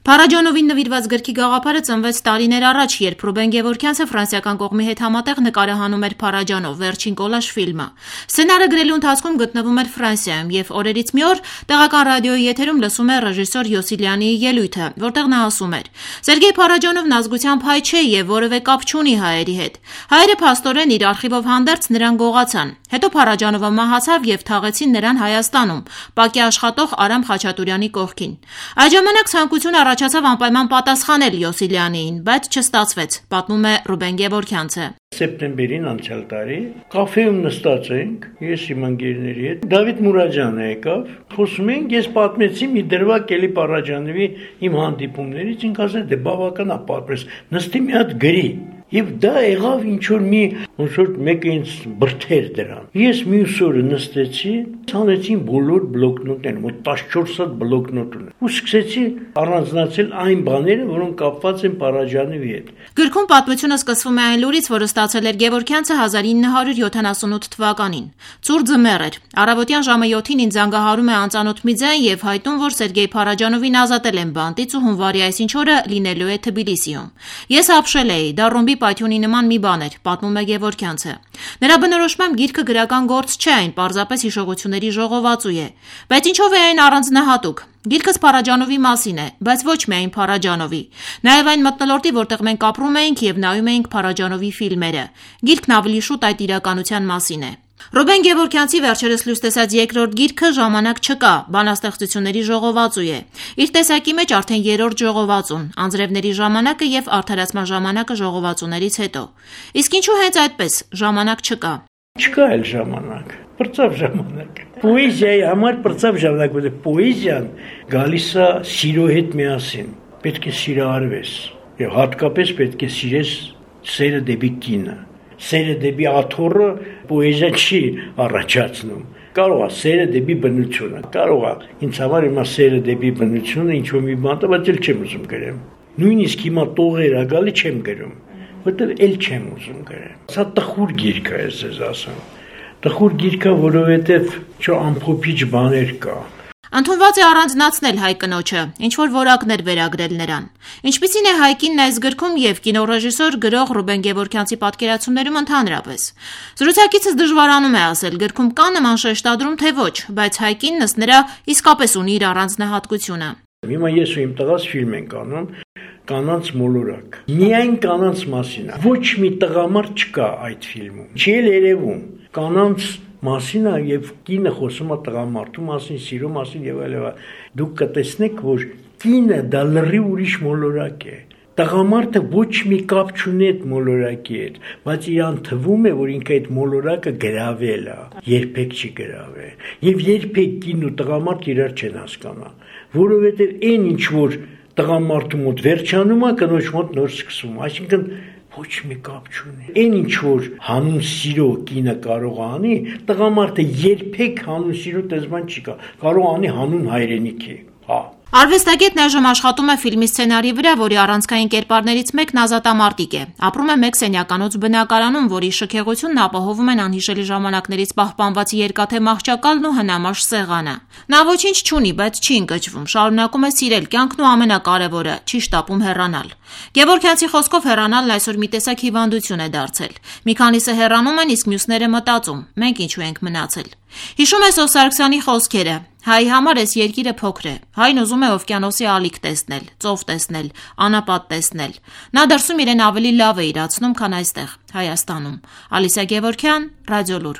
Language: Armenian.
Փարաջանովին նվիրված գրքի գաղափարը ծնվեց տարիներ առաջ, երբ Ռուբեն Գևորգյանցը ֆրանսիական կողմի հետ համատեղ նկարահանում էր Փարաջանով վերջին կոլաժ ֆիլմը։ Սցենարը գրելու ընթացքում գտնվում էր Ֆրանսիայում եւ օրերից մի օր տեղական ռադիոյի եթերում լսում է ռեժիսոր Յոսիլյանի ելույթը, որտեղ նա ասում էր. «Սերգեյ Փարաջանովն ազգությամբ հայ չէ եւ որևէ կապ չունի հայերի հետ»։ Հայերը փաստորեն իր արխիվով հանդերձ նրան գողացան։ Հետո Փարաջանովը մահացավ եւ թաղեցին նրան Հայաստանում, ՊԱԿ-ի աշխատող Արամ Խաչատուրյանի կողքին։ Այդ ժամանակ ցանկություն առաջացավ անպայման պատասխանել Յոսիլյանիին, բայց չստացվեց, պատմում է Ռուբեն Գևորգյանցը։ Սեպտեմբերին անցյալ տարի կաֆեում նստած ենք, ես իմ ընկերների հետ, Դավիթ Մուրադյանը եկավ, խոսում ենք, ես պատմեցի մի դրվագ Էլի Փարաջանովի իմ հանդիպումներից, ինք ասել դե բավական է պատմես, նստի մի հատ գրի։ Եվ դա եղավ ինչ-որ ոնց որ մեկը ինձ բրդեր դրան։ Ես մյուս օրը նստեցի, ցանեցին բոլոր բլոկնոտները, մոտ 14 հատ բլոկնոտ ունեմ։ Ու սկսեցի առանձնացնել այն բաները, որոնք կապված են Փարաջանովի հետ։ Գրքում պատմությունը սկսվում է այն լուրից, որը ստացել էր Գևորգյանցը 1978 թվականին։ Ցուրտ ձմեռ էր։ Առավոտյան ժամը 7-ին ինձ զանգահարում է անծանոթ մի ձայն եւ հայտնում, որ Սերգեյ Փարաջանովին ազատել են բանտից ու հունվարի այսինչ օրը լինելու է Թբիլիսիում։ Ես ապշել էի, դա ռոմբի պայթյունի նման մի բան էր, պատմում է Գևորգյանցը։ Նրա բնորոշմամբ գիրքը գրական գործ չէ, այն պարզապես հիշողությունների ժողովածու է։ Բայց ինչով է այն առանձնահատուկ։ Գիրքս Փարաջանովի մասին է, բայց ոչ միայն Փարաջանովի։ Նաև այն մթնոլորտի, որտեղ մենք ապրում էինք եւ նայում էինք Փարաջանովի ֆիլմերը։ Գիրքն ավելի շուտ այդ իրականության մասին է։ Ռուբեն Գևորգյանցի վերջերս լույս տեսած երկրորդ գիրքը «Ժամանակ չկա», բանաստեղծությունների ժողովածու է։ Իր տեսակի մեջ արդեն երրորդ ժողովածուն, անձրևների ժամանակը եւ արդարացման ժամանակը ժողովածուներից հետո։ Իսկ ինչու հենց այդպես ժամանակ չկա։ Չկա էլ ժամանակ, պրծավ ժամանակ։ Պոեզիայի համար պրծավ ժամանակ, որտեղ պոեզիան գալիս է սիրո հետ միասին։ Պետք է սիրահարվես եւ հատկապես պետք է սիրես սերը դեպի կինը։ Սերը դեպի աթոռը պոեզիա չի առաջացնում։ Կարող է սերը դեպի բնությունը։ Կարող է ինձ համար հիմա սերը դեպի բնությունը ինչ-որ մի բան է, բայց էլ չեմ ուզում գրեմ։ Նույնիսկ հիմա տողեր ա գալի չեմ գրում, որտեղ էլ չեմ ուզում գրեմ։ Սա տխուր գիրք է, ես ասեմ։ Տխուր գիրք է, որովհետև անփոփիչ բաներ կա։ Ընդունված է առանձնացնել հայ կնոջը, ինչ-որ որակներ վերագրել նրան։ Ինչպիսին է հայ կինն այս գրքում եւ կինոռեժիսոր գրող Ռուբեն Գևորգյանցի պատկերացումներում ընդհանրապես։ Զրուցակիցս դժվարանում է ասել, գրքում կա նման շեշտադրում, թե ոչ, բայց հայ կինն ըստ նրա իսկապես ունի իր առանձնահատկությունը։ Հիմա ես ու իմ տղաս ֆիլմ ենք անում «Կանանց մոլորակ»։ Միայն կանանց մասին է։ Ոչ մի տղամարդ չկա այդ ֆիլմում։ Չի էլ երևում։ Կանանց մասին է եւ կինը խոսում է տղամարդու մասին, սիրո մասին եւ այլն։ Դուք կտեսնեք, որ կինը դա լրի ուրիշ մոլորակ է։ Տղամարդը ոչ մի կապ չունի այդ մոլորակի հետ, բայց իրան թվում է, որ ինքը այդ մոլորակը գրավել է, երբեք չի գրավել։ Եվ երբեք կին ու տղամարդ իրար չեն հասկանա, որովհետեւ այն ինչ որ տղամարդու մոտ վերջանում է, կնոջ մոտ նոր սկսում, այսինքն ոչ մի կապ չունի։ Այն ինչ որ հանուն սիրո կինը կարող է անի, տղամարդը երբեք հանուն սիրո տեսման չի կարող անի հանուն հայրենիքի։ Հա։ Արվեստագետն այժմ աշխատում է ֆիլմի սցենարի վրա, որի առանցքային կերպարներից մեկն Ազատամարտիկ է։ Ապրում է մեկ սենյականոց բնակարանում, որի շքեղությունն ապահովում են անհիշելի ժամանակներից պահպանված երկաթե մահճակալն ու հնամաշ սեղանը։ Նա ոչինչ չունի, բայց չի ընկճվում, շարունակում է սիրել կյանքն ու ամենակարևորը՝ չի շտապում հեռանալ։ Գևորգյանցի խոսքով հեռանալն այսօր մի տեսակ հիվանդություն է դարձել։ Մի քանիսը հեռանում են, իսկ մյուսները մտածում. մենք ինչու ենք մնացել։ Հիշում է Սով Սարգսյանի խոսքերը. հայի համար այս երկիրը փոքր է։ Հայն ուզում է օվկիանոսի ալիք տեսնել, ծով տեսնել, անապատ տեսնել։ Նա դրսում իրեն ավելի լավ է իրացնում, քան այստեղ, Հայաստանում։ Ալիսա Գևորգյան, Ռադիոլուր։